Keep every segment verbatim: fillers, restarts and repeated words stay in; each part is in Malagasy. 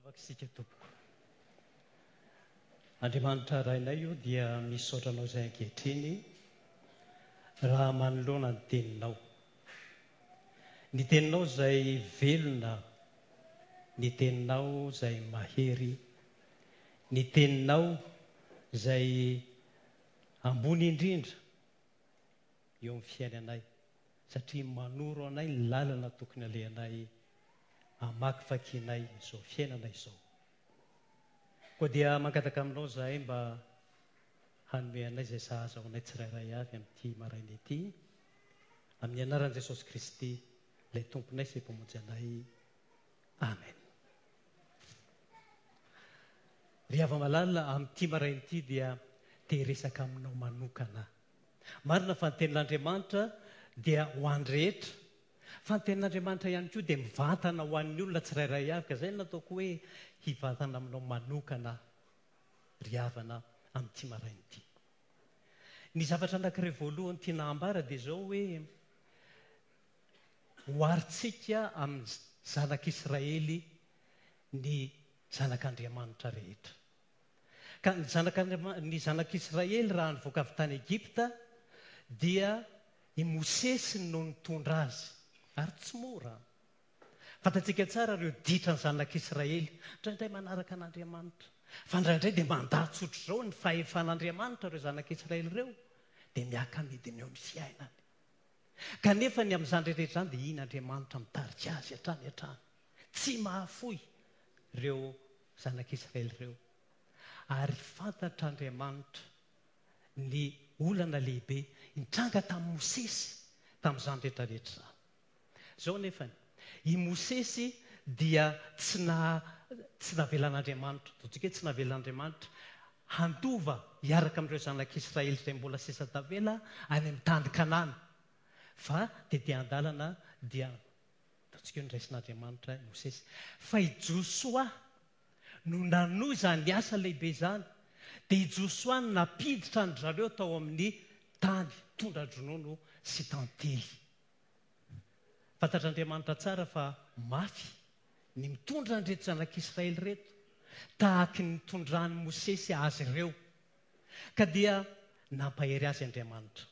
Hivavaka isika tompoko. Andriamanitra Rainay o, dia misaotra anao izay ankehitriny raha manoloana ny teninao. Ny teninao izay velona, ny teninao izay mahery, ny teninao izay ambony indrindra eo amin'ny fiainanay, satria manoro anay ny lalana tokony alehanay hamakivakianay izao fiainana izao. Koa dia mangataka aminao izahay mba hanome anay izay sahaza ho anay tsirairay avy amin'ity maraina ity, amin'ny anaran'i Jesosy Kristy, ilay Tomponay sy Mpamonjy anay. Amen. Ry hava-malala, amin'ity maraina ity dia te hiresaka aminao manokana. Marina fa ny tenin'Andriamanitra dia ho an'ny rehetra, fa ny tenin'Andriamanitra ihany koa dia mivantana ho an'ny olona tsirairay avy, ka izay no nataoko hoe hivantana aminao manokana ry havana amin'ity maraina ity. Ny zavatra anankiray voalohany tiana hambara dia izao hoe oharintsika amin'ny zanak'Israely ny zanak'Andriamanitra rehetra. Ka ny zanak'Andriama-, ny zanak'Israely raha nivoaka avy tany Egypta dia i Mosesy no nitondra azy, ary tsy mora. Fantatsika tsara ireo ditran'ny zanak'Israely, indraindray manaraka an'Andriamanitra, fa indraindray dia mandà tsotr'izao ny fahefan'Andriamanitra ireo zanak'Israely ireo, dia miaka-midina eo ny fiainany. Kanefa ny amin'izany rehetra izany dia iny Andriamanitra mitarika azy hatrany hatrany. Tsy mahafoy ireo zanak'Israely ireo. Ary fantatr'Andriamanitra ny olana lehibe nitranga tamin'i Mosesy tamin'izany rehetra rehetra izany. Izao nefany, i Mosesy dia tsy na-, tsy navelan'Andriamanitra, ataontsika hoe tsy navelan'Andriamanitra handova hiaraka amin'ireo zanak'Israely izay mbola sisa tavela any amin'ny tany Kanana. Fa tety an-dalana dia ataontsika hoe noraisin'Andriamanitra i Mosesy. Fa i Josoa no nanohy izany asa lehibe izany. Dia i Josoa no nampiditra an-dry zareo tao amin'ny tany tondra-dronono sy tantely. Fantatr'Andriamanitra tsara fa mafy ny mitondra an'ireto zanak'Israely ireto, tahaky ny nitondran'i Mosesy azy ireo. Ka dia nampahery azy Andriamanitra.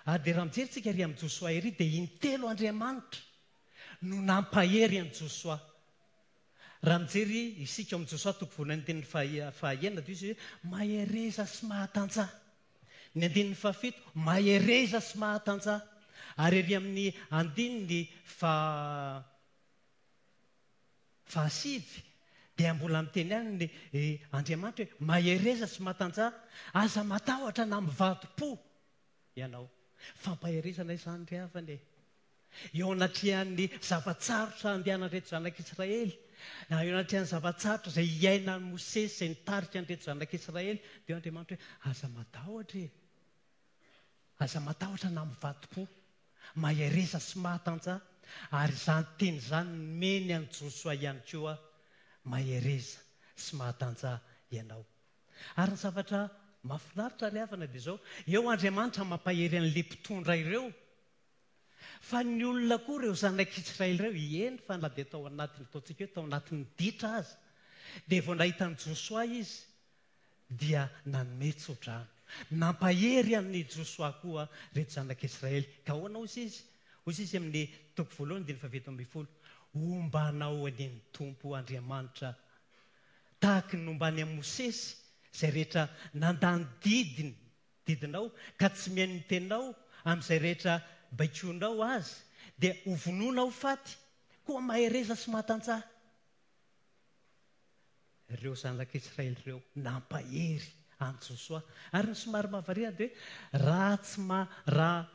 Ary dia raha mijery tsika ery amin'i Josoa ery, dia intelo Andriamanitra no nampahery an'i Josoa. Raha mijery isika ao amin'i Josoa toko voalohany andininy faha-, fahaenina, dia izy hoe mahereza sy mahatanjaha. Ny andininy fahafito, mahereza sy mahatanjaha. Ary ery amin'ny andininy fa-, fahasivy, dia mbola miteny ihany ny, eh, Andriamanitra hoe mahereza sy mahatanjaha, aza matahotra na mivadi-po ianao. Fampaherezana izany ry havana e. Eo anatrehan'ny zava-tsarotra andehanan'ireto zanak'Israely, na eo anatrehan'ny zava-tsarotra izay iainan'i Mosesy izay nitarika an'ireto zanak'Israely, dia Andriamanitra hoe aza matahotra e. Aza matahotra na mivadi-po, mahereza sy mahatanjaha. Ary izany teny izany nomeny an'i Josoa ihany koa, mahereza sy mahatanjaha ianao. Ary ny zavatra mahafinaritra ry havana dia izao, eo Andriamanitra mampahery an'ilay mpitondra ireo, fa ny olona koa ireo zanak'Israely ireo, eny fa na dia tao anatin'ny, ataontsika hoe tao anatin'ny ditra aza, dia vao nahita an'i Josoa izy dia nanome tsodrano. Nampahery an'i Josoa koa ireto zanak'Israely. Ka ahoana hoy izy? Hoy izy amin'ny toko voalohany andininy fahafito ambin'ny folo, hombanao anie ny Tompo Andriamanitra, tahaky ny nombany amin'i Mosesy, izay rehetra nandany didiny, didinao, ka tsy mihaino ny teninao amin'izay rehetra baikoinao azy, dia ho vonoina ho faty. Koa mahereza sy mahatanjaha. Ireo zanak'Israely ireo nampahery an'i Josoa. Ary ny somary mahavariana dia hoe raha tsy ma-, raha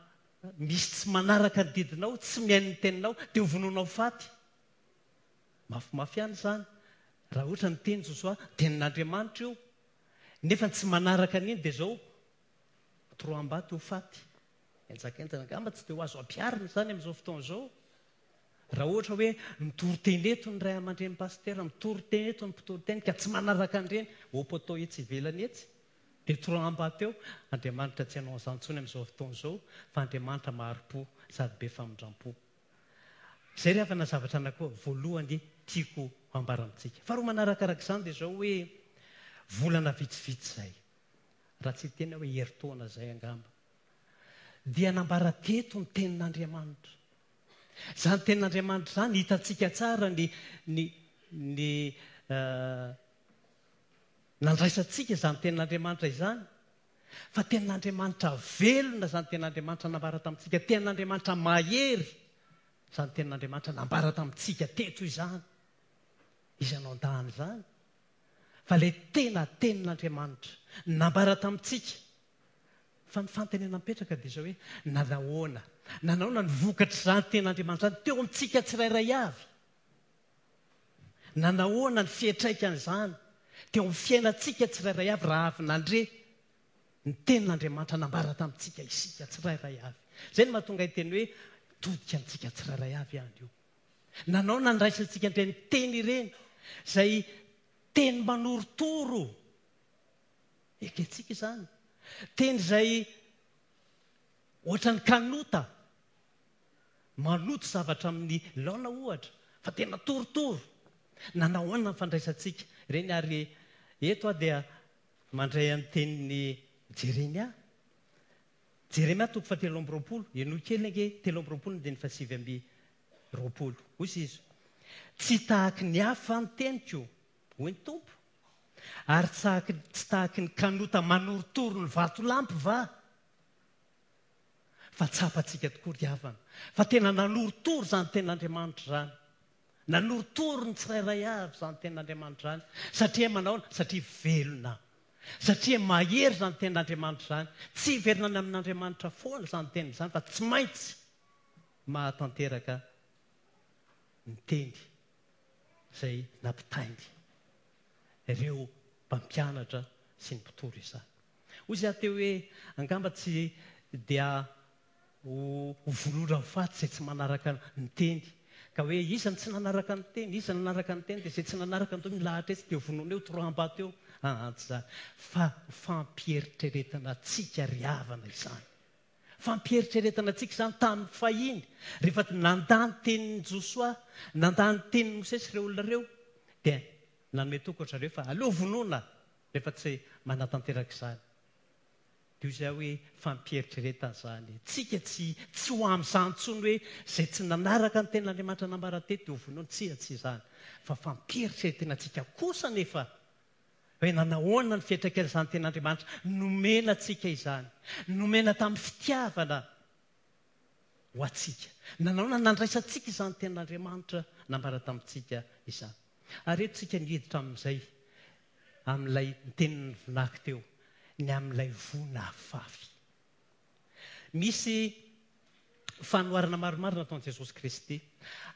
misy tsy manaraka ny didinao, tsy mihaino ny teninao, dia ho vonoina ho faty. Mafimafy ihany izany. Raha ohatra ny teny Josoa, tenin'Andriamanitra io, nefa tsy manaraka an'iny dia izao, toroam-bato ho faty. Enjakenjana angamba tsy dia ho azo ampiharina izany amin'izao fotoana izao. Raha ohatra hoe mitory teny eto ny ray aman-dreny pastera, mitory teny eto ny mpitory teny ka tsy manaraka an'ireny, au poteau etsy ivelany etsy, dia toroam-bato eo. Andriamanitra tsy hanao an'izany intsony amin'izao fotoana izao, fa Andriamanitra mahari-po sady be famindram-po. Izay ry havana zavatra anankiroa voalohany tiako ambara amintsika. Faharoa manarakaraka izany dia izao hoe volana vitsivitsy izay, raha tsy hiteny hoe herintaona izay angamba, dia nambara teto ny tenin'Andriamanitra. Izany tenin'Andriamanitra izany hitantsika tsara ny, ny, ny uh, nandraisantsika izany tenin'Andriamanitra izany, fa tenin'Andriamanitra velona izany tenin'Andriamanitra nambara tamintsika, tenin'Andriamanitra mahery izany tenin'Andriamanitra nambara tamintsika teto izany. Iza no andahana izany? Fa ilay tena tenin'Andriamanitra nambara tamintsika. Fa ny fanontaniana mipetraka dia izao hoe nanahoana? Nanahoana ny vokatr'izany tenin'Andriamanitra izany teo amintsika tsirairay avy? Nanahoana ny fiantraikan'izany teo amin'ny fiainantsika tsirairay avy raha avy nandre ny tenin'Andriamanitra nambara tamintsika isika tsirairay avy? Izay no mahatonga hiteny hoe todika amintsika tsirairay avy ihany io. Nanao nandraisantsika an'ireny teny ireny, izay teny manorotoro. Ekentsika izany. Teny izay ohatran'ny kanota, manoto zavatra amin'ny laona ohatra, fa tena torotoro. Nanahoana ny fandraisantsika ireny? Ary eto aho dia mandray an'ny tenin'i Jeremia. Jeremia toko fahatelo amby roapolo, henoy kely ange, telo amby roapolo ny andininy fahasivy amby roapolo. Hoy izy, tsy tahaky ny hafa ny teniko, hoy ny Tompo, ary tsy tahaky ny kanota manorotoro ny vatolampy va? Fa tsapantsika tokoa ry havana, fa tena nanorotoro izany tenin'Andriamanitra izany. Nanorotoro ny tsirairay avy izany tenin'Andriamanitra izany. Satria manahoana? Satria velona. Satria mahery izany tenin'Andriamanitra izany. Tsy hiverina any amin'Andriamanitra foana izany teniny izany, fa tsy maintsy mahatanteraka ny teny izay nampitainy ireo mpampianatra sy ny mpitory izany. Hoy izy teo hoe angamba tsy dia ho vonoina ho faty izay tsy manaraka ny teny. Ka hoe iza no tsy nanaraka ny teny, iza no nanaraka ny teny, dia izay tsy nanaraka ny teny milahatra etsy dia vonoina eo, toroham-bato eo. Ah, tsy izany. Fa fampieritreretana antsika ry havana izany. Fampieritreretana antsika izany tamin'ny fahiny. Rehefa nandà ny tenin'i Josoa, nandà ny tenin'i Mosesy ireo olona ireo, dia nanome toky ry zareo fa aleo vonoina rehefa tsy manatanteraka izany. Dia hoy izaho hoe fampieritreretana izany. Tsika tsy, tsy ho amin'izany intsony hoe izay tsy nanaraka ny tenin'Andriamanitra nambara teto dia ho vonoina. Tsia, tsy izany. Fa fampieritreretana antsika kosa nefa hoe nanahoana ny fiantraikan'izany tenin'Andriamanitra nomena antsika izany. Nomena tamin'ny fitiavana ho antsika. Nanahoana nandraisantsika izany tenin'Andriamanitra nambara tamintsika izany. Ary eto tsika niditra amin'izay, amin'ilay tenin'ny vinaky teo, ny amin'ilay voa nafafy. Misy fanoharana maromaro nataon'i Jesosy Kristy.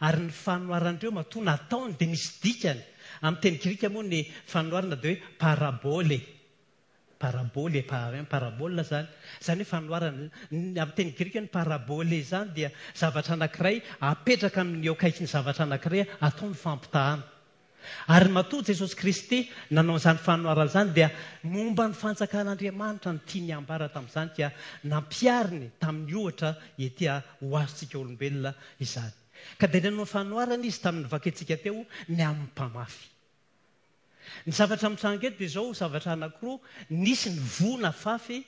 Ary ny fanoharan'ireo matoa nataony dia misy dikany. Amin'ny teny grika moa ny fanoharana dia hoe parabole. Parabole, parabole izany. Izany hoe fanoharana. Amin'ny teny grika ny parabole izany dia zavatra anankiray apetraka amin'ny eo akaikin'ny zavatra anankiray atao ny fampitahana. Ary matoa Jesosy Kristy nanao izany fanoharana izany dia momba ny fanjakan'Andriamanitra no tiany ambara tamin'izany, ka nampihariny tamin'ny ohatra ety ho azontsika olombelona izany. Ka dia nanao fanoharana izy tamin'ny vakintsika teo ny amin'ny mpamafy. Ny zavatra mitranga eto dia izao, zavatra anankiroa, nisy ny voa nafafy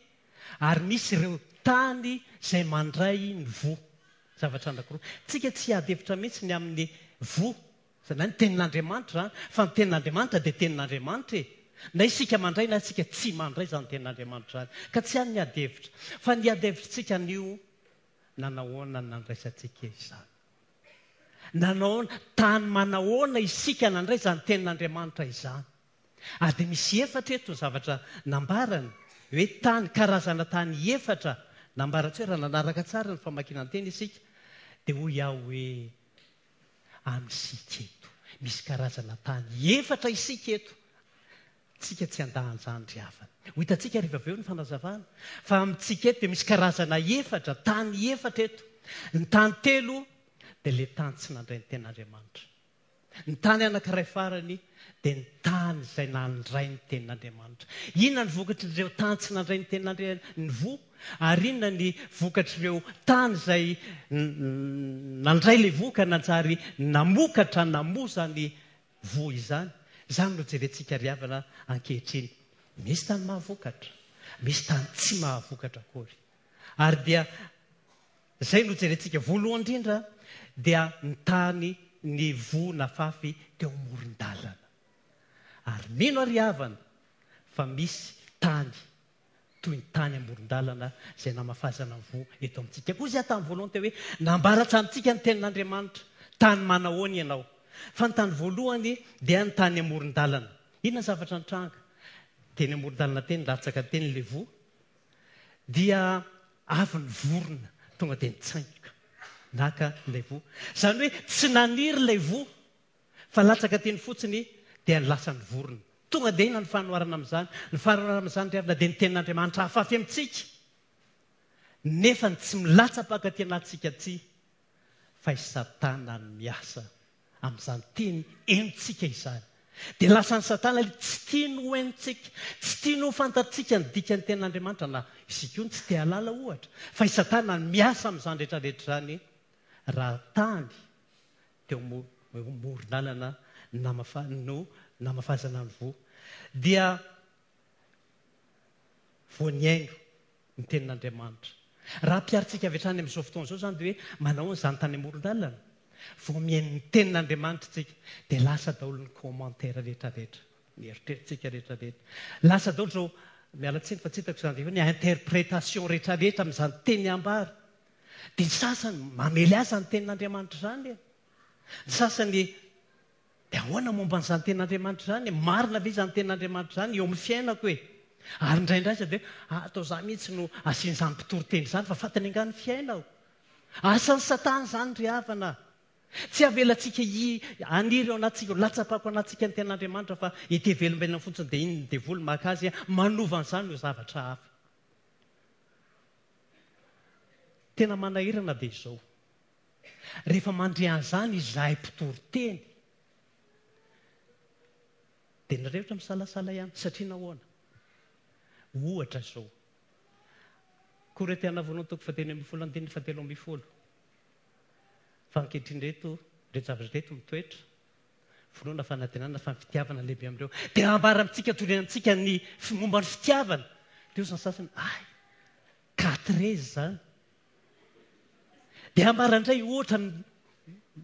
ary misy ireo tany izay mandray ny voa. Zavatra anankiroa. Tsika tsy hiady hevitra mihitsy ny amin'ny voa. Izany hoe ny tenin'Andriamanitra izany, fa ny tenin'Andriamanitra dia tenin'Andriamanitra e. Na isika mandray na isika tsy mandray izany tenin'Andriamanitra izany. Ka tsy any ny ady hevitra. Fa ny ady hevitritsika anio, nanahoana ny nandraisantsika izany? Nanahoana, tany manahoana isika nandray izany tenin'Andriamanitra izany? Ary dia misy efatra eto ny zavatra nambarany, hoe tany, karazana tany efatra nambarantsika hoe raha nanaraka tsara ny famakiana ny teny isika, dia hoy aho hoe amin'isika eto. Misy karazana tany efatra isika eto. Tsika tsy andahan'izany ry havana. Ho hitantsika rehefa avy eo ny fanazavana. Fa amintsika eto dia misy karazana efatra, tany efatra eto. Ny tany telo dia ilay tany tsy nandray ny tenin'Andriamanitra. Ny tany anankiray farany dia ny tany izay nandray ny tenin'Andriamanitra. Inona ny vokatr'ireo tany tsy nandray ny tenin'Andriamanitra, ny voa? Ary inona ny vokatr'ireo tany izay nandray ilay voa ka nanjary namokatra, namoa izany voa izany? Izany no jerentsika ry havana ankehitriny. Misy tany mahavokatra, misy tany tsy mahavokatra akory. Ary dia izay no jerentsika voalohany indrindra, dia ny tany ny voa nafafy teo amoron-dalana. Ary mino ary havana fa misy tany toy ny tany amoron-dalana izay namafazana ny voa eto amintsika. Koa izay tamin'ny voalohany teo hoe nambara tamintsika ny tenin'Andriamanitra, tany manahoana ianao. Fa ny tany voalohany dia ny tany amoron-dalana. Inona ny zavatra nitranga? Teny amoron-dalana teny, latsaka teny ilay voa, dia avy ny vorona tonga dia nitsaingoka naka ilay voa. Izany hoe tsy naniry ilay voa fa latsaka teny fotsiny dia lasa ny vorona. Tonga dia inona ny fanoharana amin'izany? Ny fanoharana amin'izany ry havana dia ny tenin'Andriamanitra hafafy amintsika, nefa ny tsy milatsa-paka aty anatintsika aty, fa i Satana no miasa amin'izany teny henontsika izany. Dia lasan'i Satana ilay tsy tiany ho henontsika, tsy tiany ho fantatsika ny dikan'ny tenin'Andriamanitra, na isika io no tsy te hahalala ohatra, fa i Satana no miasa amin'izany rehetrarehetra izany. Raha tany teo amoron-dalana namafa-, no namafazana ny voa, dia vao nihaino ny tenin'Andriamanitra. Raha ampiharintsika avy hatrany amin'izao fotoana izao izany dia hoe manao an'izany tany amoron-dalana, vao mihaino ny tenin'Andriamanitra isika, dia lasa daholo ny commentaire rehetrarehetra, ny eritreritsika rehetrarehetra. Lasa daholo izao, miala tsiny fa tsy hitako izany, dia hoe ny interprétation rehetrarehetra amin'izany teny ambara. Dia ny sasany mamely azy ny tenin'Andriamanitra izany. Ny sasany dia ahoana momba an'izany tenin'Andriamanitra izany? Marina ve izany tenin'Andriamanitra izany eo amin'ny fiainako e? Ary indraindray aza dia hoe, ah, atao za mihitsy no asian'izany mpitory teny izany fa fantany angaha ny fiainako. Asan'ny Satana izany ry havana. Tsy avelantsika hi-, haniry ao anatintsika, ho latsa-pako anatintsika ny tenin'Andriamanitra fa ety velombelona fotsiny dia iny ny devoly maka azy manova an'izany ho zavatra hafa. Tena manahirana dia izao. Rehefa mandre an'izany izahay mpitory teny, dia ny rehetra misalasala ihany, satria nahoana? Ohatra izao. Korintiana voalohany toko fahatelo ambin'ny folo andininy fahatelo ambin'ny folo. Fa ankehitriny ireto, ireto zavatra ireto mitoetra, finoana, fanantenana, fa ny fitiavana lehibe amin'ireo. Dia ambara amintsika, torina amintsika ny f-, momba ny fitiavana. Dia hoy ny sasany, ay, quatre izany. Dia ambara indray ohatra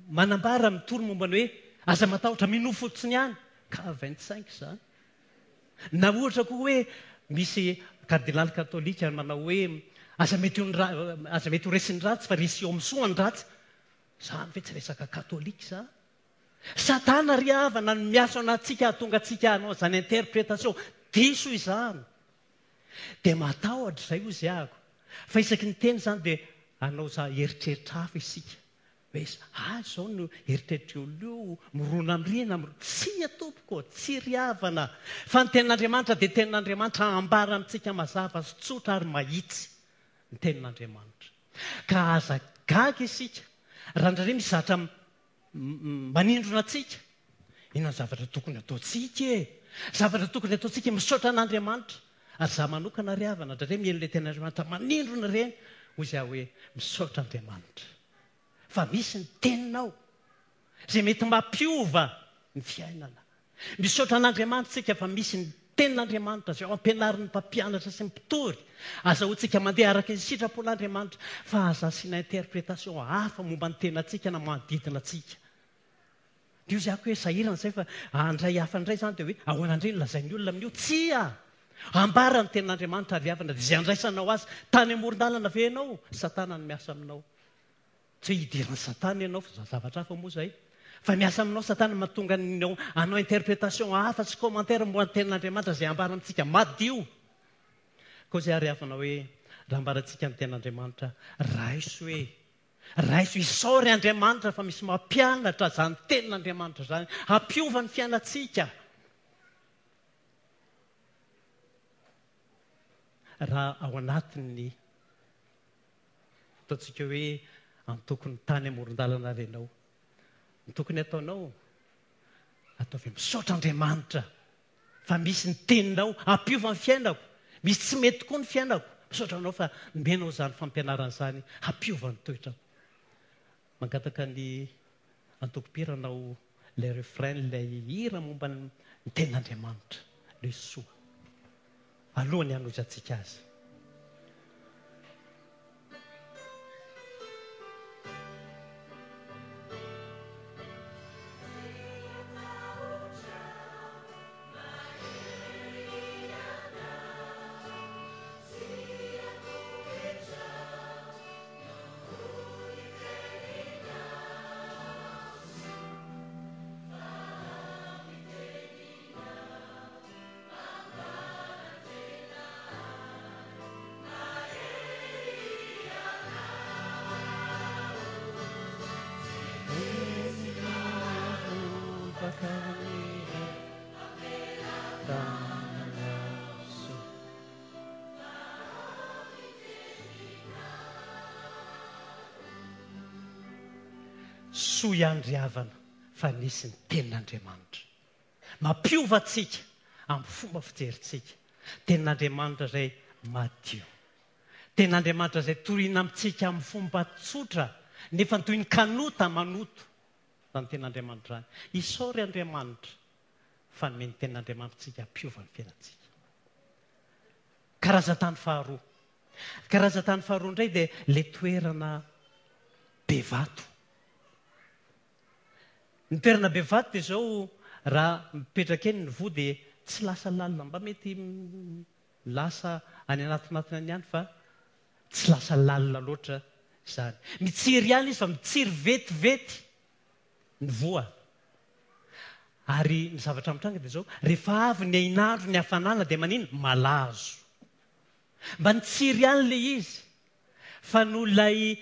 manambara mitory momba ny hoe aza matahotra, minoa fotsiny ihany. Ka vingt-cinq izany. Na ohatra koa hoe misy kardinaly katolika manao hoe aza mety ho ny ra-, aza mety ho resin'ny ratsy fa resy eo amin'ny soa ny ratsy. Izany ve tsy resaka katolika izany? Satana ry havana no miasa ao anatintsika hahatonga antsika hanao izany interprétation diso izany. Dia matahotra izay hoy izy ahako. Fa isaky ny teny izany dia hanao za eritreritra hafa isika. Hoe ah, izao no eritreritra eo io, mirona amin'ireny, mirona. Tsia tompoko, tsy ry havana. Fa ny tenin'Andriamanitra dia tenin'Andriamanitra ambara amintsika mazava sy tsotra ary mahitsy ny tenin'Andriamanitra. Ka aza gaga isika raha indraindray misy zavatra m-, m-, manindrona antsika. Inona ny zavatra tokony ataontsika e? Zavatra tokony ataontsika misaotra an'Andriamanitra. Ary za manokana ry havana, indraindray mihaino ilay tenin'Andriamanitra manindrona ireny, hoy izy aho hoe misaotra Andriamanitra. Fa misy ny teninao izay mety mampiova ny fiainana. Misaotra an'Andriamanitra isika fa misy ny tenin'Andriamanitra izay ampianarin'ny mpampianatra sy ny mpitory. Azahoantsika mandeha araka ny sitrapon'Andriamanitra fa aza asiana interprétation hafa momba ny tenantsika na manodidina antsika. Dia hoy izy aho hoe sahirana izay fa handray hafa indray izany dia hoe ahoana indray no lazain'ny olona amin'io? Tsia! Ambara ny tenin'Andriamanitra ary havana dia izay andraisanao azy. Tany amoron-dalana ve ianao? Satana no miasa aminao. Tsy hoe hidiran'ny Satana ianao fa zavatra hafa moa izay. Fa miasa aminao Satana mahatonga ny hanao interprétation hafa sy commentaire momba ny tenin'Andriamanitra izay ambara amintsika madio. Koa izay ary havana hoe raha ambarantsika ny tenin'Andriamanitra, raiso hoe, raiso isaory Andriamanitra fa misy mampianatra izany tenin'Andriamanitra izany, hampiova ny fiainantsika. Raha ao anatin'ny ataontsika hoe antokony tany amoron-dalana ary ianao, ny tokony ataonao Ataovy misaotra Andriamanitra fa misy ny teninao hampiova ny fiainako. Misy tsy mety tokoa ny fiainako. Misaotra anao fa nomenao izany fampianarana izany hampiova ny toetrako. Mangataka ny antoko-mpihira hanao ilay refrain, ilay hira momba ny tenin'Andriamanitra, ilay soa. Alohan'ny hanohizantsika azy. Soa ihany ry havana fa nisy ny tenin'Andriamanitra. Mampiova antsika amin'ny fomba fijerintsika. Tenin'Andriamanitra izay madio. Tenin'Andriamanitra izay torina amintsika amin'ny fomba tsotra, nefa toy ny kanota manoto. Izany tenin'Andriamanitra izany. Isaory Andriamanitra fa nomeny tenin'Andriamanitra antsika hampiova ny fiainantsika. Karazan-tany faharoa. Karazan-tany faharoa indray dia ilay toerana be vato. Ny toerana be vato dia izao, raha mipetraka eny ny voa dia tsy lasa lalina, mba mety lasa any anatinatiny any ihany fa tsy lasa lalina loatra izany. Mitsiry ihany izy fa mitsiry vetivety ny voa. Ary ny zavatra mitranga dia izao, rehefa avy ny hainandro ny hafanana dia manino? Malazo. Mba nitsiry ihany ilay izy fa noho ilay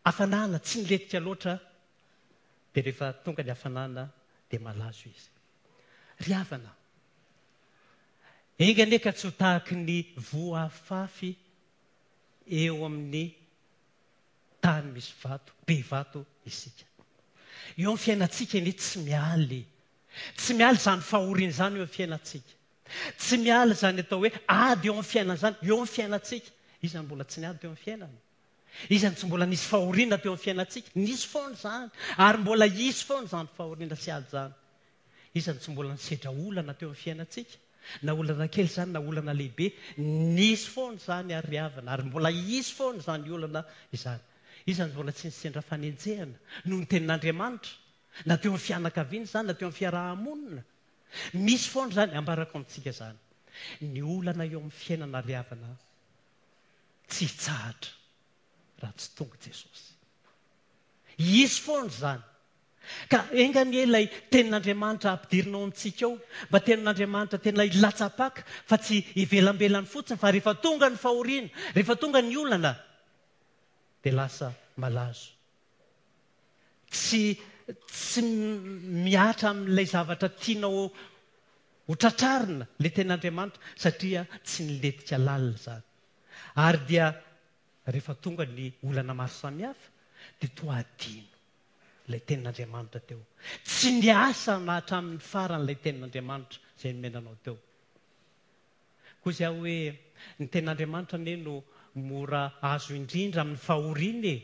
hafanana tsy nilentika loatra dia rehefa tonga ny hafanana dia malazo izy. Ry havana, enga anie ka tsy ho tahaky ny voa afafy eo amin'ny tany misy vato, be vato isika. Eo amin'ny fiainantsika anie tsy mialy. Tsy mialy izany fahoriana izany eo amin'ny fiainantsika. Tsy mialy izany atao hoe ady eo amin'ny fiainana izany, eo amin'ny fiainantsika. Iza no mbola tsy niady teo amin'ny fiainana? Iza no tsy mbola nisy fahoriana teo amin'ny fiainantsika? Nisy foana izany, ary mbola hisy foana izany fahoriana sy ady izany. Iza no tsy mbola nisedra olana teo amin'ny fiainantsika? Na olana kely izany, na olana lehibe, nisy foana izany ary havana, ary mbola hisy foana izany olana izany. Iza no mbola tsy nisendra fanenjehana noho ny tenin'Andriamanitra, na teo amin'ny fianakaviana izany, na teo amin'ny fiaraha-monina. Misy foana izany, ambarako amintsika izany. Ny olana eo amin'ny fiainana ary havana tsy hitsahatra raha tsy tonga Jesosy. Hisy foana izany. Ka enga anie ilay tenin'Andriamanitra ampidirinao amintsika ao, mba tenin'Andriamanitra tena hilatsa-paka fa tsy ivelambelany fotsiny, fa rehefa tonga ny fahoriana, rehefa tonga ny olana, dia lasa malazo. Tsy, tsy mihatra amin'ilay zavatra tianao ho tratrarina ilay tenin'Andriamanitra, satria tsy nilentika lalina izany. Ary dia rehefa tonga ny olana maro samihafa, dia toa adino ilay tenin'Andriamanitra teo. Tsy niasa na hatramin'ny farany ilay tenin'Andriamanitra izay nomenanao teo. Koa izay aho hoe ny tenin'Andriamanitra anie no mora azo indrindra amin'ny fahoriana e.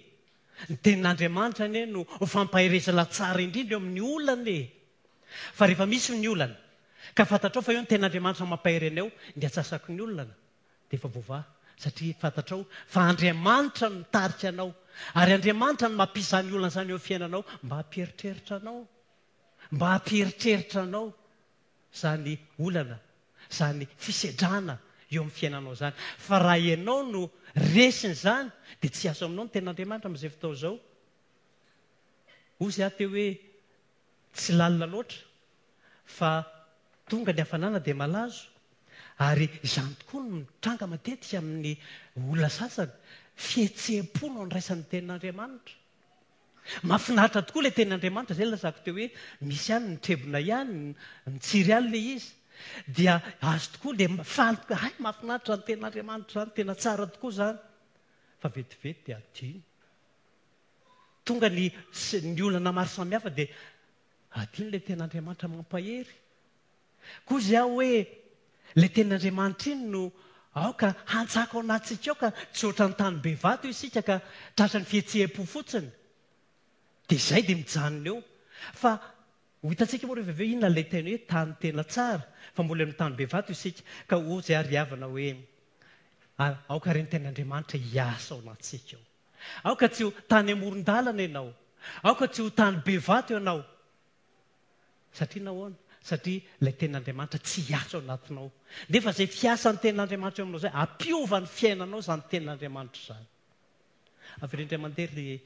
Ny tenin'Andriamanitra anie no ho fampaherezana tsara indrindra eo amin'ny olana e. Fa rehefa misy ny olana, ka fantatrao fa eo ny tenin'Andriamanitra mampahery anao, ny atsasaky ny olana dia efa voavaha, satria fantatrao fa Andriamanitra no mitarika anao, ary Andriamanitra no mampisy izany olana izany eo amin'ny fiainanao mba hampieritreritra anao, mba hampieritreritra anao izany olana, izany fisedrana eo amin'ny fiainanao izany. Fa raha ianao no resiny izany, dia tsy hiasa aminao ny tenin'Andriamanitra amin'izay fotoana izao. Hoy aho teo hoe tsy lalina loatra, fa tonga ny hafanana dia malazo. Ary izany tokoa no mitranga matetika amin'ny olona sasany, fihetseham-po no andraisan'ny tenin'Andriamanitra. Mahafinaritra tokoa ilay tenin'Andriamanitra, izay lazako teo hoe misy ihany ny trebona ihany, mitsiry ihany ilay izy. Dia azo tokoa dia faly tokoa, hay mahafinaritra ny tenin'Andriamanitra izany, tena tsara tokoa izany. Fa vetivety dia adino. Tonga ny, ny olana maro samihafa dia Adino ilay tenin'Andriamanitra mampahery. Koa izay aho hoe ilay tenin'Andriamanitra iny no aoka hantsaka ao anatintsika ao ka tsy ohatran'ny tany be vato isika ka tratran'ny fihetseham-po fotsiny. Dia izay dia mijanona eo. Fa ho hitantsika moa rehefa avy eo inona ilay teny hoe tany tena tsara, fa mbola amin'ny tany be vato isika. Ka hoy izay ary havana hoe aoka re ny tenin'Andriamanitra hiasa ao anatintsika ao. Aoka tsy ho tany amoron-dalana ianao. Aoka tsy ho tany be vato ianao. Satria nahoana? Satria ilay tenin'Andriamanitra tsy hiasa ao anatinao. Nefa izay fiasan'ny tenin'Andriamanitra eo aminao izay, hampiova ny fiainanao izany tenin'Andriamanitra izany. Avereno indray mandeha ry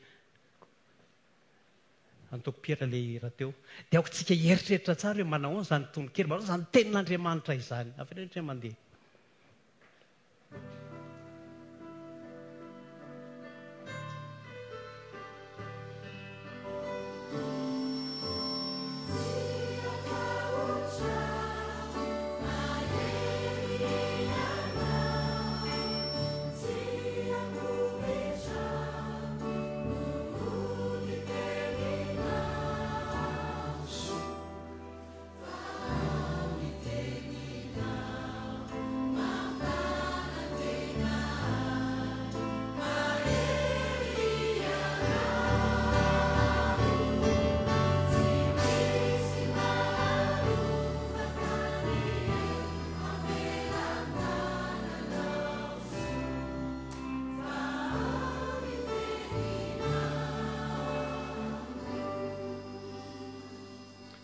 antoko Pierre ilay hira teo. Dia aoka tsika hieritreritra tsara hoe manahoana izany tononkira, manahoana izany tenin'Andriamanitra izany. Avereno indray mandeha.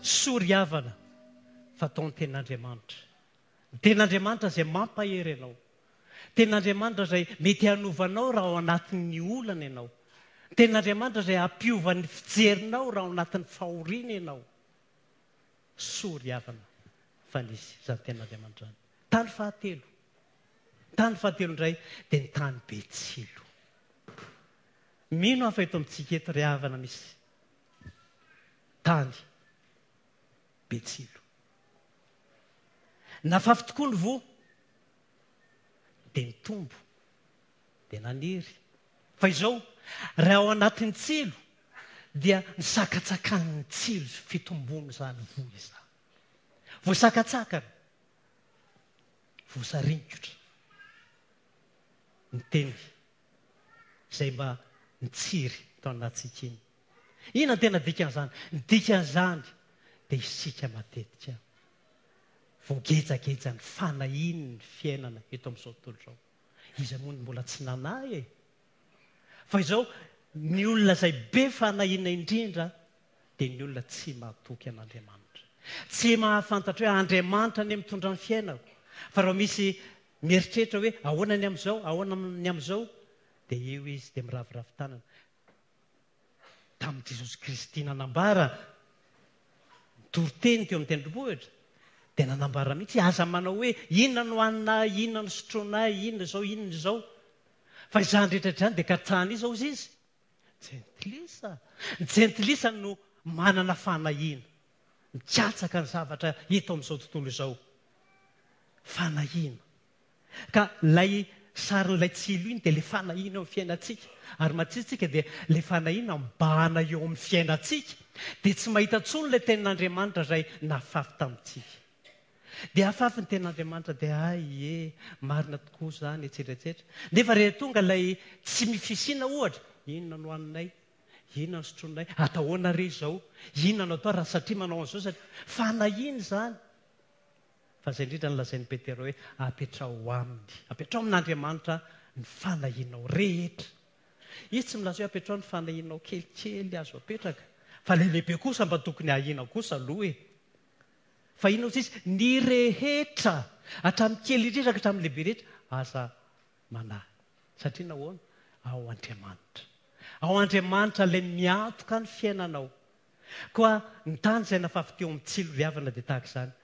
Soa ry havana fa atao ny tenin'Andriamanitra. Ny tenin'Andriamanitra izay mampahery anao. Tenin'Andriamanitra izay mety hanovanao raha ao anatin'ny olana ianao. Ny tenin'Andriamanitra izay hampiova ny fijerinao raha ao anatin'ny fahoriana ianao. Soa ry havana fa nisy izany tenin'Andriamanitra izany. Tany fahatelo. Tany fahatelo indray dia ny tany be tsilo. Mino aho fa eto amintsika eto ry havana misy tany be tsilo. Nafafy tokoa ny voa, dia nitombo, dia naniry. Fa izao, raha ao anatin'ny tsilo, dia nisakatsakan'ny tsilo fitombony izany voa izany. Voasakatsakana, voasaringotra ny teny izay mba nitsiry tao anatintsika iny. Inona no tena dikan'izany? Ny dikan'izany dia isika matetika voagejageja ny fanahiany ny fiainana eto amin'izao tontolo izao. Iza moa no mbola tsy nanahy e? Fa izao, ny olona izay be fanahiana indrindra dia ny olona tsy mahatoky an'Andriamanitra. Tsy mahafantatra hoe Andriamanitra anie mitondra ny fiainako. Fa raha misy mieritreritra hoe ahoana ny amin'izao, ahoana ny amin'izao, dia eo izy dia miraviravy tanana. Tamin'i Jesosy Kristy nanambara toriteny teo amin'ny tendrombohitra, dia nanambara mihitsy aza manao hoe inona no haninay, inona no sotroinay, inona izao, inona izao. Fa izany rehetra izany dia katsahana iza hozy izy? Jentilisa. Ny jentilisa no manana fanahiana, mikatsaka ny zavatra eto amin'izao tontolo izao. Fanahiana. Ka ilay sarin'ilay tsilo iny dia ilay fanahiana eo amin'ny fiainantsika. Ary matsitsika dia ilay fanahiana mibahana eo amin'ny fiainantsika. Dia tsy mahita intsony ilay tenin'Andriamanitra izay nafafy tamintsika. Dia afafy ny tenin'Andriamanitra dia ay e, marina tokoa izany, etsetra etsetra. Nefa rehefa tonga ilay tsy mifisina ohatra, inona no haninay? Inona no sotroinay? Atao ahoana re izao? Inona no atao raha satria manao an'izao? Satria fanahiana izany. Fa izay indrindra no lazain'i Petera hoe apetrao aminy, apetrao amin'Andriamanitra ny fanahianao rehetra. Izy tsy milaza hoe apetrao ny fanahianao kelikely azo apetraka, fa ilay lehibe kosa mba tokony ahiana kosa aloha e. Fa inona hozy izy? Ny rehetra, hatramin'ny kely indrindra ka hatramin'ny lehibe rehetra, aza manahy. Satria nahoana? Ao Andriamanitra. Ao Andriamanitra ilay miantoka ny fiainanao. Koa ny tany izay nafafy teo amin'ny tsilo ry havana dia tahaka izany.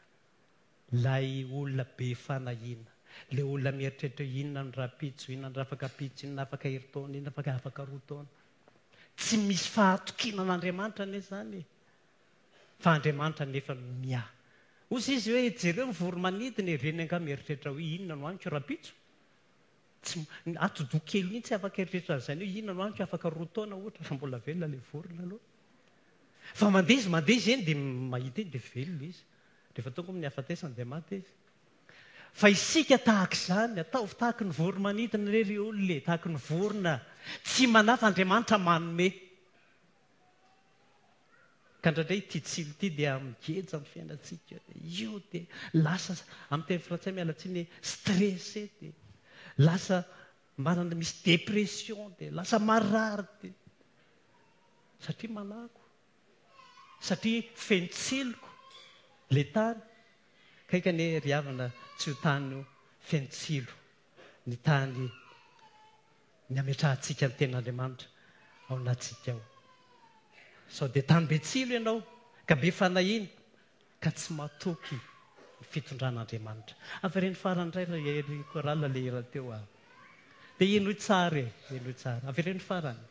Ilay olona be fanahiana, ilay olona mieritreritra hoe inona no rahampitso, inona no afaka-pitso, inona afaka herintaona, inona afaka afaka roa taona. Tsy misy fahatokiana an'Andriamanitra anie izany. Fa Andriamanitra nefa no miahy. Hozy izy hoe jereo ny voro-manidina ireny angaha mieritreritra hoe inona no haniko rahampitso. Tsy atidoha kely mihitsy afaka eritreritra an'izany hoe inona no haniko afaka roa taona ohatra fa mbola velona ilay vorona aloha. Fa mandeha izy, mandeha izy eny dia mahita eny dia velona izy. Rehefa tonga amin'ny hafatesana dia maty izy. Fa isika tahaka izany, ataovy tahaky ny voro-manidina re ry olona e, tahaky ny vorona. Tsy manafa Andriamanitra manome. Ka indraindray ity tsilo ity dia migeja amin'ny fiainantsika. Io dia lasa, amin'ny teny frantsay miala tsiny, stressé dia lasa manana misy dépression dia lasa marary dia satria manako, satria feno tsiloko le tany. Kaika anie ry havana tsy ho tany feno tsilo ny tany ny ametrahantsika ny tenin'Andriamanitra ao anatintsika ao. Sao dia tany be tsilo ianao ka be fanahiana ka tsy matoky ny fitondran'Andriamanitra. Avereno farany indray ry ry chorale le hira teo aho. Dia henoy tsara e, henoy tsara. Avereno farany.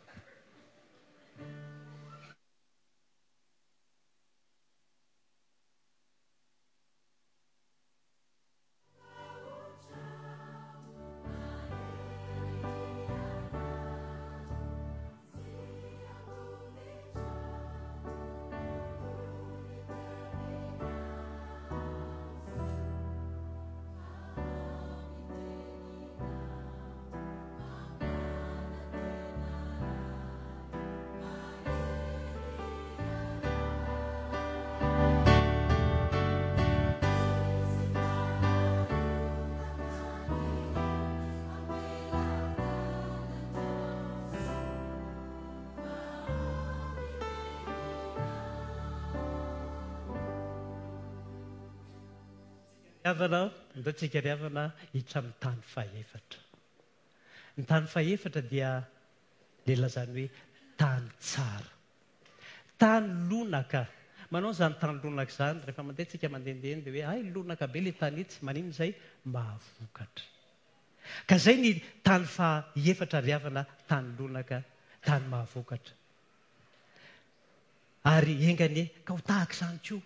Havana, ndao tsika ry havana hiditra amin'ny tany fahefatra. Ny tany fahefatra dia le lazany hoe tany tsara. Tany lonaka. Manao izany tany lonaka izany, rehefa mandeha tsika mandehandeha eny dia hoe ay lonaka be le tany itsy, maninona izay? Mahavokatra. Ka izay ny tany fahefatra ry havana, tany lonaka, tany mahavokatra. Ary enga anie ka ho tahaka izany koa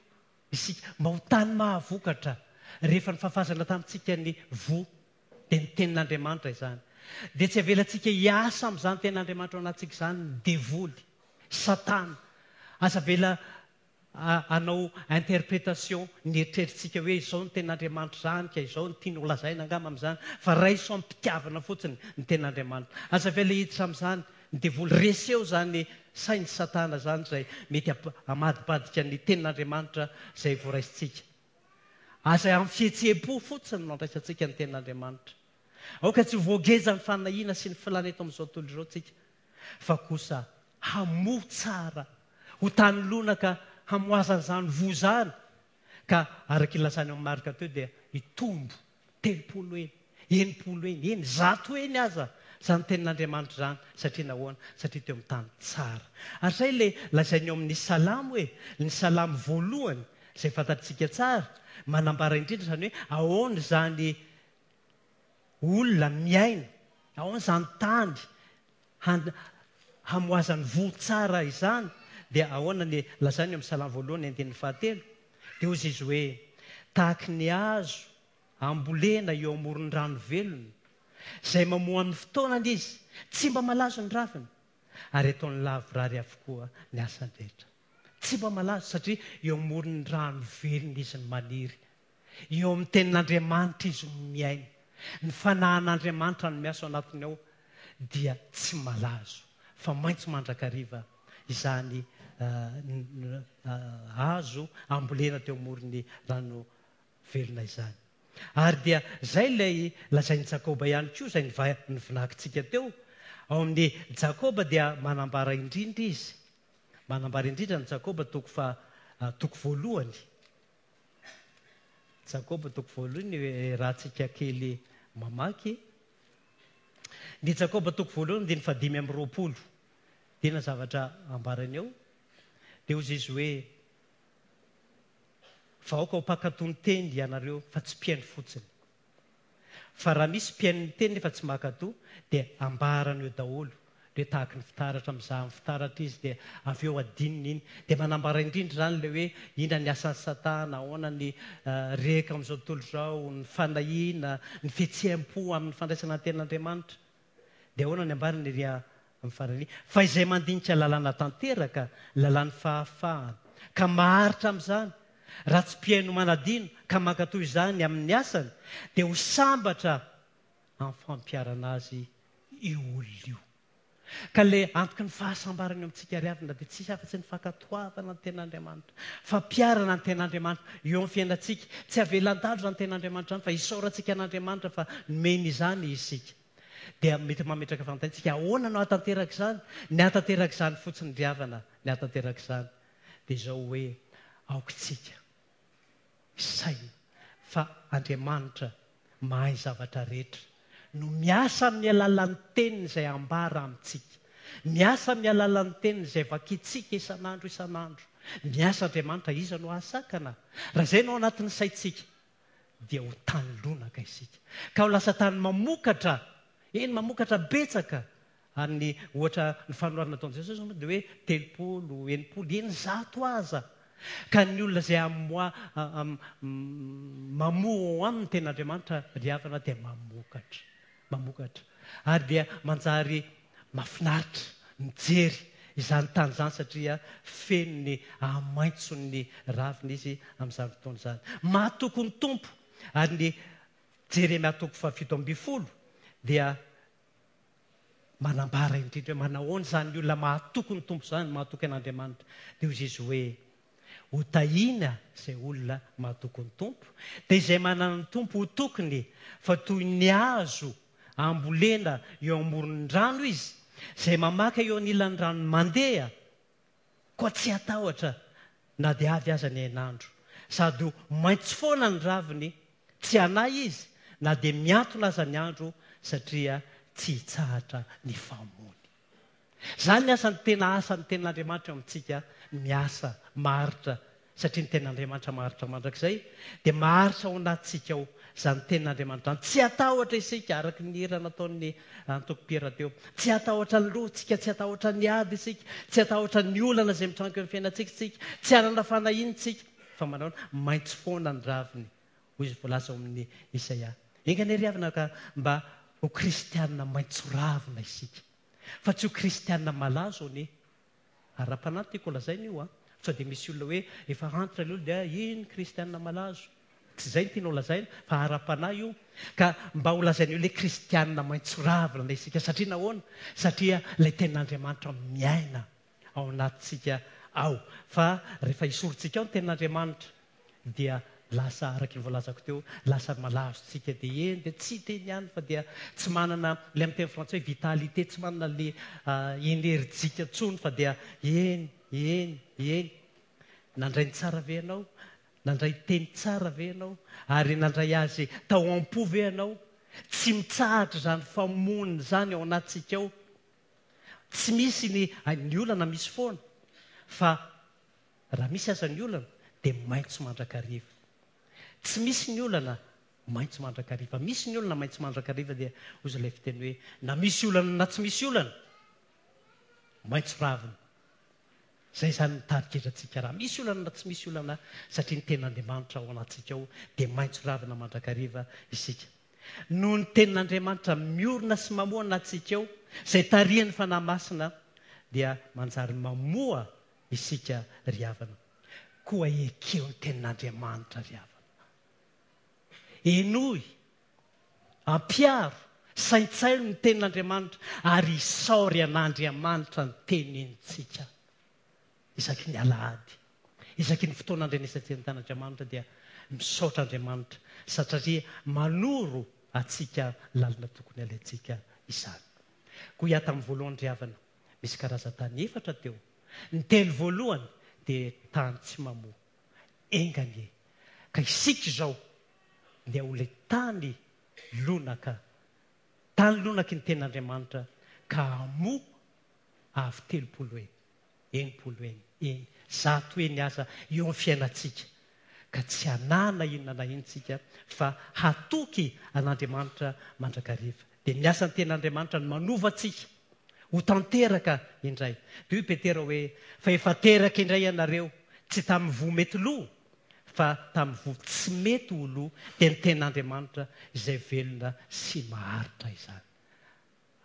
isika, mba ho tany mahavokatra. Rehefa nifafazana tamintsika ny voa, dia ny tenin'Andriamanitra izany. Dia tsy avelantsika hiasa amin'izany tenin'Andriamanitra ao anatintsika izany ny devoly, Satana. Aza avela hanao interprétation ny eritreritsika hoe izao ny tenin'Andriamanitra izany, ka izao ny tiany ho lazaina angamba amin'izany, fa raiso am-pitiavana fotsiny ny tenin'Andriamanitra. Aza avela hiditra amin'izany ny devoly. Reseo izany sain'ny Satana izany izay mety hamadibadika ny tenin'Andriamanitra izay voaraisintsika. Aza amin'ny fihetseham-po fotsiny no andraisantsika ny tenin'Andriamanitra. Aoka tsy ho voageja ny fanahiana sy ny filàna eto amin'izao tontolo izao tsika, fa kosa hamoa tsara, ho tany lonaka hamoazan'izany voa izany, ka araka ilazany amin'ny Marka teo dia hitombo telopolo eny, enimpolo eny, eny, zato eny aza izany tenin'Andriamanitra izany. Satria nahoana? Satria teo amin'ny tany tsara. Ary izay ilay lazainy eo amin'ny Salamo hoe, ny Salamo voalohany izay fantatsika tsara, manambara indrindra izany hoe ahoana izany olona miaina, ahoana izany tany han-, hamoazany voa tsara izany, dia ahoana ny lazainy eo amin'ny Salamo voalohany andininy fahatelo? Dia hoy izy hoe, tahaky ny hazo ambolena eo amoron'ny rano velona, izay mamoa amin'ny fotoanany izy, tsy mba malazo ny raviny, ary ataony lavorary avokoa ny asany rehetra. Tsy mba malazo satria eo amoron'ny rano velona izy no maniry. Eo amin'ny tenin'Andriamanitra izy no miaina. Ny fanahin'Andriamanitra no miasa ao anatiny ao dia tsy malazo fa maitso mandrakariva izany, eh, hazo ambolena teo amoron'ny rano velona izany. Ary dia izay ilay lazain'i Jakoba ihany koa, izay niva-, nivinakintsika teo. Ao amin'ny Jakoba dia manambara indrindra izy. Manambara indrindra ny Jakoba toko fa, ah, toko voalohany. Jakoba toko voalohany, eh, raha tsika kely mamaky. Ny Jakoba toko voalohany dia ny fahadimy amby roapolo. Tena zavatra ambarany eo. Dia hoy izy hoe, fa aoka ho mpankatò ny teny ianareo fa tsy mpihaino fotsiny. Fa raha misy mpihaino ny teny nefa tsy mankatò, dia ambarany eo daholo. Dia tahaky ny fitaratra, mizaha amin'ny fitaratra izy, dia avy eo adinony iny. Dia manambara indrindra izany ilay hoe inona ny asan'ny Satana, ahoana ny, eh, rehaka amin'izao tontolo izao, ny fanahiana, ny fihetseham-po amin'ny fandraisana ny tenin'Andriamanitra. Dia ahoana ny ambarany ery Amin'ny farany, fa izay mandinika lalàna tanteraka, lalàn'ny fahafahana, ka maharitra amin'izany, raha tsy mpihaino manadino ka mankatò izany amin'ny asany, dia ho sambatra amin'ny fampiharana azy io olona io. Ka ilay antoky ny fahasambarana eo amintsika ry havana dia tsisy afa-tsy ny fankatoavana ny tenin'Andriamanitra, fampiharana ny tenin'Andriamanitra eo amin'ny fiainantsika. Tsy avelan-dalo izany tenin'Andriamanitra izany fa isaorantsika an'Andriamanitra fa nomeny izany isika. Dia mety mametraka fanontaniana isika, ahoana no hahatanteraka izany? Ny hahatanteraka izany fotsiny ry havana, ny hahatanteraka izany dia izao hoe aoka isika hisaina fa Andriamanitra mahay zavatra rehetra no miasa amin'ny alalan'ny teniny izay ambara amintsika. Miasa amin'ny alalan'ny teniny izay vakintsika isan'andro isan'andro. Miasa Andriamanitra, iza no hahasakana? Raha izay no ao anatin'ny saintsika, dia ho tany lonaka isika. Ka ho lasa tany mamokatra, eny mamokatra betsaka. Ary ny ohatra ny fanoharana nataon'i Jesosy moa dia hoe telopolo, enimpolo, eny zato aza. Ka ny olona izay amoa, mamoa ao aminy ny tenin'Andriamanitra ry havana dia mamokatra, mamokatra. Ary dia manjary mahafinaritra mijery izany tany izany satria feno ny hamaitson'ny ravina izy amin'izany fotoana izany. Mahatoky ny Tompo. Ary ny Jeremia toko fahafito ambin'ny folo dia manambara indrindra hoe manahoana izany olona mahatoky ny Tompo izany, mahatoky an'Andriamanitra. Dia hoy izy hoe ho tahiana izay olona mahatoky ny Tompo, dia izay manana ny Tompo ho tokiny, fa toy ny hazo ambolena eo amoron'ny rano izy, izay mamaka eo anilan'ny rano mandeha, koa tsy hatahotra na dia avy aza ny hainandro. Sady ho maitso foana ny raviny, tsy hanahy izy na dia mihantona aza ny andro, satria tsy hitsahatra ny famony. Izany ny asan'ny tena asan'ny tenin'Andriamanitra eo amintsika, miasa maharitra, satria ny tenin'Andriamanitra maharitra mandrakizay, dia maharitra ao anatintsika ao izany tenin'Andriamanitra izany. Tsy hatahotra isika, araka ny hira nataon'ny antoko mpihira teo. Tsy hatahotra ny loha-tsika, tsy hatahotra ny ady isika, tsy hatahotra ny olana izay mitranga eo amin'ny fiainantsika isika, tsy hanana fanahiana isika, fa manao maitso foana ny raviny, hoy izy voalaza ao amin'ny Isaia. Enga anie ry havana ka mba ho kristianina maitso ravina isika, fa tsy ho kristianina malazo anie. Ara-panahy tiako lazaina io, sao dia misy olona hoe efa antitra ilay olona dia iny kristianina malazo. Tsy izay no tianao lazaina, fa ara-panahy io. Ka mba ho lazaina eo ilay kristianina maitso ravina isika. Satria nahoana? Satria ilay tenin'Andriamanitra miaina ao anatintsika ao. Fa rehefa esorintsika ao ny tenin'Andriamanitra, dia lasa, araka ny voalazako teo, lasa malazo tsika. Dia eny, dia tsy teny ihany, fa dia tsy manana, ilay amin'ny teny frantsay hoe vitalité, tsy manana ilay enerjika intsony, fa dia eny, eny, eny. Nandray ny tsara ve ianao? Nandray teny tsara ve ianao? Ary nandray azy tao am-po ve ianao? Tsy mitsahatra izany famono izany ao anatintsika ao. Tsy misy ny, ny olana misy foana, fa raha misy aza ny olana dia maitso mandrakariva. Tsy misy ny olana maitso mandrakariva. Misy ny olana maitso mandrakariva dia hoy ilay fiteny hoe na misy olana na tsy misy olana, maitso ravina. Izay izany mitarika antsika raha misy olana na tsy misy olana, satria ny tenin'Andriamanitra ao anatintsika ao dia maitso ravina mandrakariva isika. Noho ny tenin'Andriamanitra miorina sy mamoa anatintsika ao, izay tarihan'ny Fanahy Masina, dia manjary mamoa isika ry havana. Koa ekeo ny tenin'Andriamanitra ry havana. Henoy, ampiaro, saintsaino ny tenin'Andriamanitra ary isaory an'Andriamanitra ny tenintsika. Isaky ny alahady, isaky ny fotoana andrenesantsika ny tenin'Andriamanitra dia misaotra Andriamanitra satria manoro antsika lalana tokony alaintsika izany. Koa hiato amin'ny voalohany ry havana, misy karazan-tany efatra teo. Ny telo voalohany dia tany tsy mamoa. Enga anie ka isika izao dia ho ilay tany lonaka, tany lonaky ny tenin'Andriamanitra ka hamoa avy telopolo eny, enimpolo eny, eny, zato eny aza eo amin'ny fiainantsika. Ka tsy hanana inona na inona isika fa hatoky an'Andriamanitra mandrakariva. Dia ny asan'ny tenin'Andriamanitra no manova antsika ho tanteraka indray. Dia hoy Petera hoe fa efa teraka indray ianareo, tsy tamin'ny voa mety lo, fa tamin'ny voa tsy mety ho lo, dia ny tenin'Andriamanitra izay velona sy maharitra izany.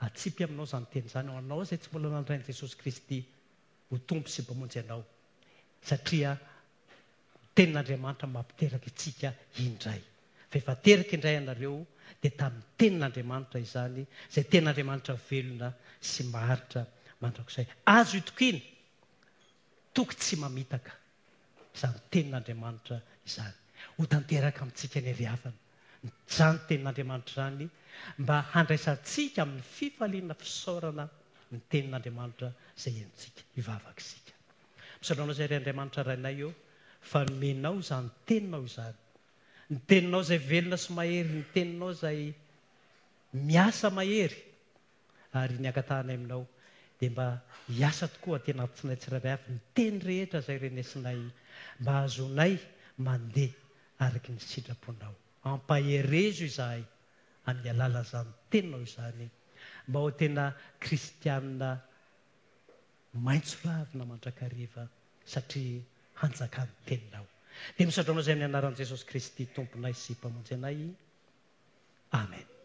Atsipy aminao izany teny izany, ho anao izay tsy mbola nandray an'i Jesosy Kristy ho Tompo sy Mpamonjy anao, satria ny tenin'Andriamanitra mampiteraka antsika indray. Fa efa teraka indray ianareo, dia tamin'ny tenin'Andriamanitra izany, izay tenin'Andriamanitra velona sy maharitra mandrakizay. Azo itokiana, toky tsy mamitaka izany tenin'Andriamanitra izany. Ho tanteraka amintsika anie ry havana izany tenin'Andriamanitra izany, mba handraisantsika amin'ny fifaliana fisaorana ny tenin'Andriamanitra izay henontsika. Hivavaka isika. Misaotra anao izay ry Andriamanitra Rainay ô, fa nomenao izany teninao izany. Ny teninao izay velona sy mahery, ny teninao izay miasa mahery. Ary ny angatahanay aminao dia mba hiasa tokoa aty anatinay tsirairay avy ny teny rehetra izay renesinay mba hahazoanay mandeha araka ny sitraponao. Ampaherezo izahay amin'ny alalan'izany teninao izany mba ho tena kristiana maitso ravina mandrakariva satria hanjakan'ny teninao. Dia misaotra anao izay amin'ny anaran'i Jesosy Kristy Tomponay sy Mpamonjy anay. Amen.